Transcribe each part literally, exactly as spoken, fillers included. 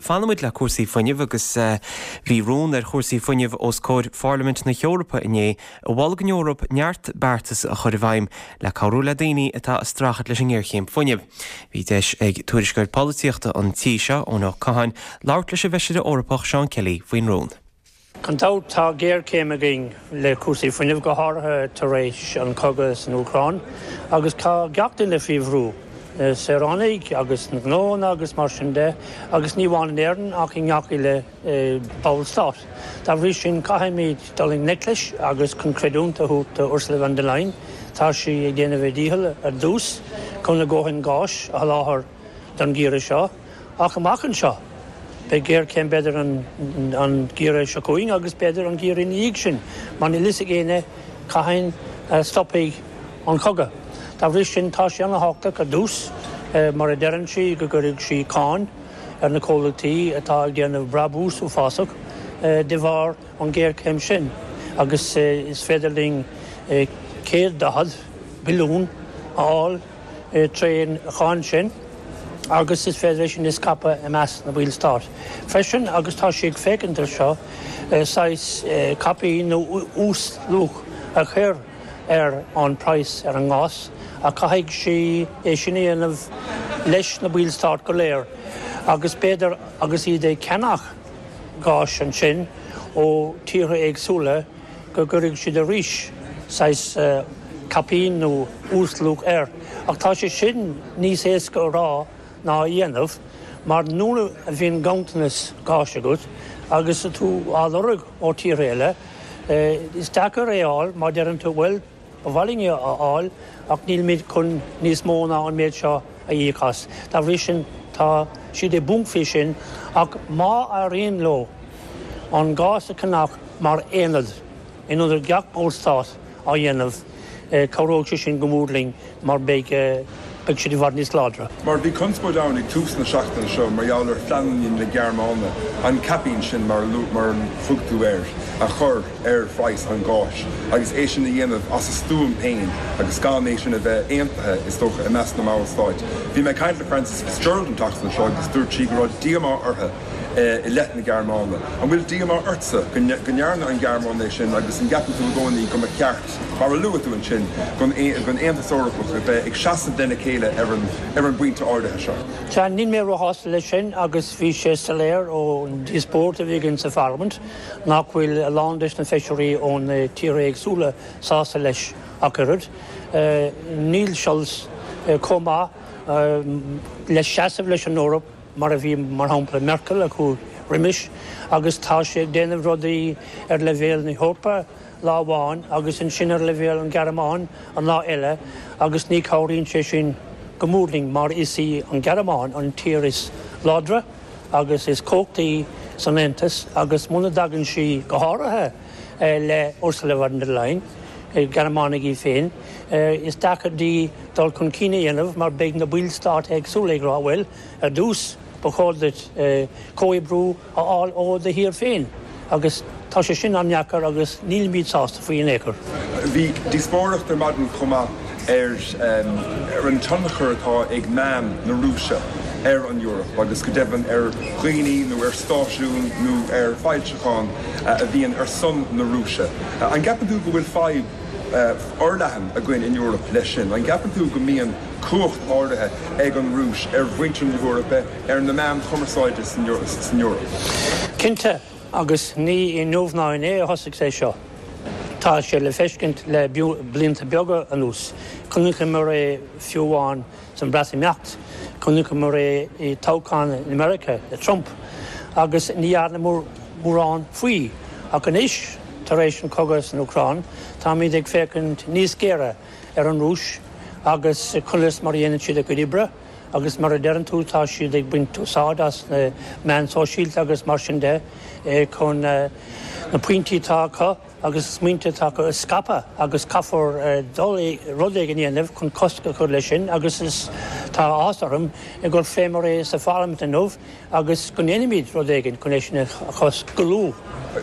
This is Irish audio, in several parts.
Fanfaimid le cúrsaí fuinnimh agus bhí rún ar chúrsaí fuinnimh os comhair Pharlaimint na hEorpa inné a mhol don Eoraip neart beartas a chur i bhfeidhm le cabhrú le daoine atá ag streachailt leis an ngéarchéim fuinnimh. Bhí deis ag tuairisceoir polaitíochta an tí seo Eoin Ó Catháin labhairt leis an bhfeisire Eorpach Seán Kelly faoin rún. Gan dabht tá géarchéim againn le cúrsaí fuinnimh go háirithe tar éis an cogadh san Úcráin agus tá gach duine faoi bhrú. saoránaigh agus na gnónna agus mar sin de agus ní amháin in Éirinn ach i ngach uile ballstát. Dá bhrí sin caithfimid dul i ngleic leis agus chun creidiúint a thabhairt do Ursula von der Leyen tá sí ag déanamh a dícheall ar dtús chun a ndóthain gáis a sholáthar don gheimhreadh seo ach amach anseo. Beidh géarchéim b'fhéidir an an geimhreadh seo chugainn agus b'fhéidir an geimhreadh ina dhiaidh sin, mar níl fhios ag éinne cathain a stopfaidh an cogadh. Dá bhrí sin tá sé an-tábhachtach ar dtús mar a deireann sí go gcuirfidh sí cáin ar na comhlachtaí atá ag déanamh brabús uafásach de bharr an ghéarchéim sin agus is féidir linn céad daichead billiún a fháil trén cháin sin agus is féidir sin a scaipeadh i measc na ballstát. Freisin agus tá sí ag féachaint air seo saghas caipín nó uasluach a chur ar an praghas ar an ngás a caithfidh sí é sin a dhéanamh leis na ballstáit go léir agus b'fhéidir agus iad ag ceannach gáis ansin ó tíortha éagsúla go gcuirfidh siad arís saghas caipín nó uasluach air. Ach tá sé sin níos éasca a rá ná a dhéanamh, mar nuair a bhíonn ganntanas gáis agat agus tú á lorg ó tíortha eile, is deacair é a fháil má deireann tú bhuel ba mhaith linn é a fháil ach nílimid chun níos mó ná an méid seo a íoc as. Dá bhrí sin tá siad i bponc faoi sin ach má éiríonn leo an gás a cheannach mar aonad in ionad gach ballstát á dhéanamh, cabhróidh sé sin go mór linn mar beidh beidh siad i bhfad níos láidre. Mar bhí conspóid ann ag tús na seachtaine seo mar gheall ar phleananna na Gearmáine an caipín sin mar mar a thug tú air a chur ar phraghas an gháis agus é sin a dhéanamh as a stuaim féin agus gan é sin a bheith aontaithe is dócha i measc na mballstát. Bhí mé ag caint le Frances Fitzgerald an tseachtain seo agus dúirt sí go raibh díomá uirthi i leith na Gearmáine. An bhfuil díomá ortsa go ndearna an Ghearmáin é sin agus an gceapann tú i gcónaí go mba cheart mar a luaigh tú ansin don Aontas Eorpach a bheith ag seasamh lena chéile ar an ar an bpointe áirithe seo. Sea, níl mé róshásta leis sin agus bhí sé soiléir ón díospóireacht a bhí againn sa Pharlaimint nach bhfuil a lán de na feisirí ó na tíortha éagsúla sásta leis ach oiread. Níl Scholz chomh maith le seasamh leis an Eoraip mar a bhí mar shampla Merkel a chuaigh roimis agus tá sé ag déanamh rudaí ar leibhéal na hEorpa lá amháin agus ansin ar leibhéal an Ghearmáin an lá eile agus ní chabhraíonn sé sin go mór linn mar is í an Ghearmáin an tír is láidre agus is cumhachtaí san Aontas agus muna dtagann sí go háirithe le Ursula von der Leyen, Gearmánach í féin, is deacair di dul chun cinn a dhéanamh mar beidh na ballstáit éagsúla ag rá bhuel ar dtús ba chóir duit comhoibriú a fháil ó do thír féin agus tá sé sin an-deacair agus nílimid sásta faoi in aon chor. Bhí díospóireacht ar maidin chomh maith ar ar an tionchar atá ag meáin na Rúise ar an Eoraip agus go deimhin ar dhaoine nó ar stáisiúin nó ar fhoilseacháin a bhíonn ar son na Rúise. An gceapann tú go bhfuil fadhb fhorleathan againn in Eoraip leis sin, an gceapann tú go mbíonn cumhacht áirithe ag an Rúis ar mhuintir na hEorpa ar na meáin chumarsáide san Eoraip? Cinnte, agus ní inniu ná inné a thosaigh sé seo. Tá sé le feiscint le blianta beaga anuas. Chonaiceamar é fiú amháin san Bhreatimeacht, chonaiceamar é i toghchán i Meiriceá le Trump, agus ní dhearnamar mórán faoi. Ach anois, tar éis an cogadh san Úcráin, táimid ag féachaint níos géire ar an Rúis agus conas mar a dhéanann siad a gcuid oibre agus mar a deireann tú tá siad ag baint úsáid as na meáin sóisialta agus mar sin de chun na pointí atá acu agus smaointe atá acu a scaipeadh agus caithfear dul rud éigin a dhéanamh chun cosc a chur leis sin agus is tá áthas orm gur phléamar é sa Pharlaimint inniu agus go ndéanfaimid rud éigin chun é sin a chosc go luath.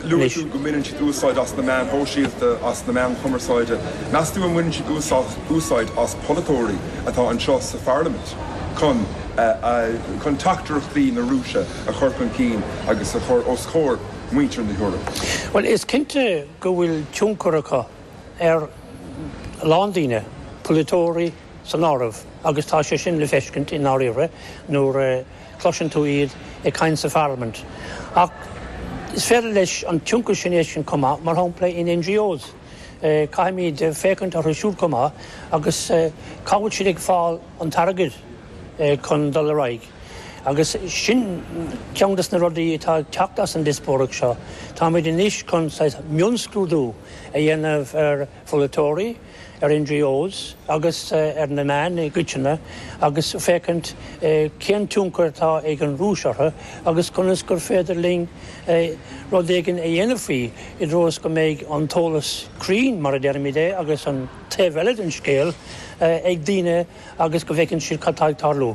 Luaigh tú go mbaineann siad úsáid as na meáin shóisialta, as na meáin chumarsáide. Meas tú an mbaineann siad úsáid as polaiteoirí atá anseo sa Pharlaimint? chun chun teachtaireachtaí na Rúise a chur chun cinn agus a chur os comhair muintir na hEorpa. Well is cinnte go bhfuil tionchar acu ar a lán daoine, polaiteoirí san áireamh, agus tá sé sin le feiscint i ndáiríre nuair a chloiseann tú iad ag caint sa pharlaimint. Ach is féidir leis an tionchar sin é sin chomh maith, mar shampla in N G Os. Caithfimid féachaint orthu siúd chomh maith agus cá bhfuil siad ag fáil an t-airgead chun dul ar aghaidh. Agus sin ceann des na rudaí atá ag teacht as an díospóireacht seo. Táimid anois chun mionscrúdú a dhéanamh ar pholaiteoirí, ar N G Os agus ar na meáin i gcoitinne agus féachaint cén tionchar atá ag an Rúis orthu agus conas gur féidir linn rud éigin a dhéanamh faoi i dtreo is go mbeidh an t-eolas cruinn mar a deirimid é agus an taobh eile den scéal ag daoine agus go bhfeiceann siad cad tá ag tarlú.